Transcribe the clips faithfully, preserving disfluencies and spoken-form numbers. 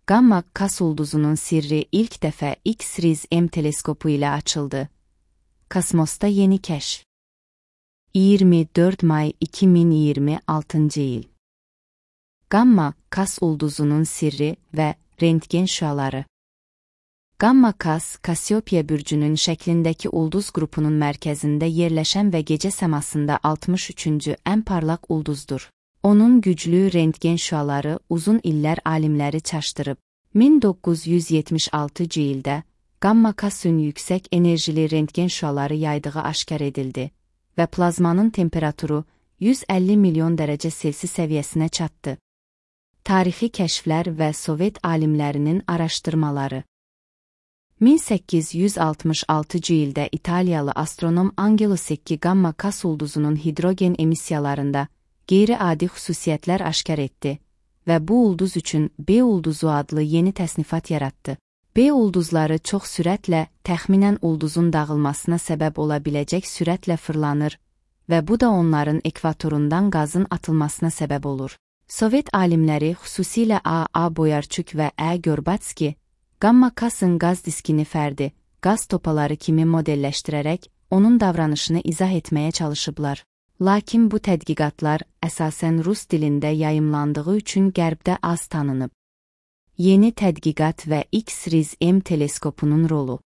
Gamma Kas ulduzunun sirri ilk dəfə X-RIS-M teleskopu ilə açıldı. Kosmosda yeni kəşf. iyirmi dörd may iki min iyirmi altıncı il. Gamma Kas ulduzunun sirri və rentgen şüaları. Gamma Kas, Kassiopya bürcünün şəklindəki ulduz qrupunun mərkəzində yerləşən və gecə səmasında altmış üçüncü ən parlaq ulduzdur. Onun güclü rentgen şüaları uzun illər alimləri çaşdırıb. min doqquz yüz yetmiş altıncı ildə Gamma Kas'ın yüksək enerjili rentgen şüaları yaydığı aşkar edildi və plazmanın temperaturu yüz əlli milyon dərəcə Selsi səviyyəsinə çatdı. Tarixi kəşflər və Sovet alimlərinin araşdırmaları. min səkkiz yüz altmış altıncı ildə İtaliyalı astronom Angelo Secchi Gamma Kas ulduzunun hidrogen emissiyalarında qeyri-adi xüsusiyyətlər aşkar etdi və bu ulduz üçün B ulduzu adlı yeni təsnifat yaratdı. B ulduzları çox sürətlə, təxminən ulduzun dağılmasına səbəb ola biləcək sürətlə fırlanır və bu da onların ekvatorundan qazın atılmasına səbəb olur. Sovet alimləri, xüsusilə A. A. Boyarçuk və Ə. Gorbatski, Gamma Kas'ın qaz diskini fərdi, qaz topaları kimi modelləşdirərək onun davranışını izah etməyə çalışıblar. Lakin bu tədqiqatlar əsasən rus dilində yayımlandığı üçün Qərbdə az tanınıb. Yeni tədqiqat və X-RIS-M teleskopunun rolu.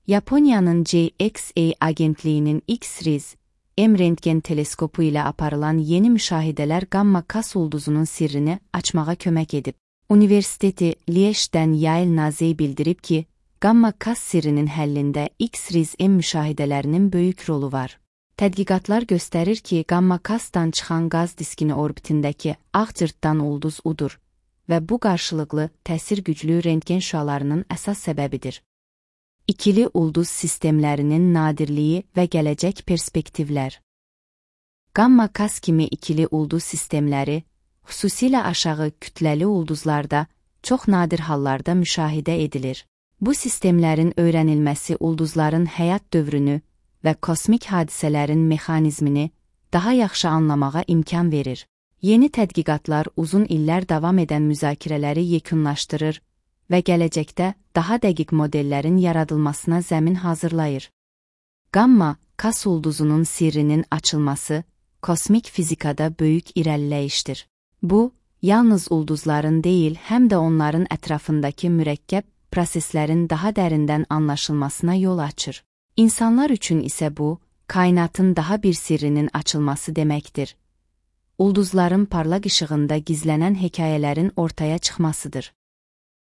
Yaponiyanın J X A agentliyinin X-RIS-M rentgen teleskopu ilə aparılan yeni müşahidələr Gamma Kas ulduzunun sirrini açmağa kömək edib. Universiteti Liège-dən Yael Nazey bildirib ki, Gamma Kas sirrinin həllində X-RIS-M müşahidələrinin böyük rolu var. Tədqiqatlar göstərir ki, Gamma Kas'dan çıxan qaz diskini orbitindəki ağ cırtdan ulduz udur və bu qarşılıqlı təsir güclü rentgen şüalarının əsas səbəbidir. İkili ulduz sistemlərinin nadirliyi və gələcək perspektivlər. Gamma Kas kimi ikili ulduz sistemləri, xüsusilə aşağı kütləli ulduzlarda, çox nadir hallarda müşahidə edilir. Bu sistemlərin öyrənilməsi ulduzların həyat dövrünü və kosmik hadisələrin mexanizmini daha yaxşı anlamağa imkan verir. Yeni tədqiqatlar uzun illər davam edən müzakirələri yekunlaşdırır və gələcəkdə daha dəqiq modellərin yaradılmasına zəmin hazırlayır. Gamma Kas ulduzunun sirrinin açılması kosmik fizikada böyük irəliləyişdir. Bu, yalnız ulduzların deyil, həm də onların ətrafındakı mürəkkəb proseslərin daha dərindən anlaşılmasına yol açır. İnsanlar üçün isə bu, kainatın daha bir sirrinin açılması deməkdir. Ulduzların parlaq işığında gizlənən hekayələrin ortaya çıxmasıdır.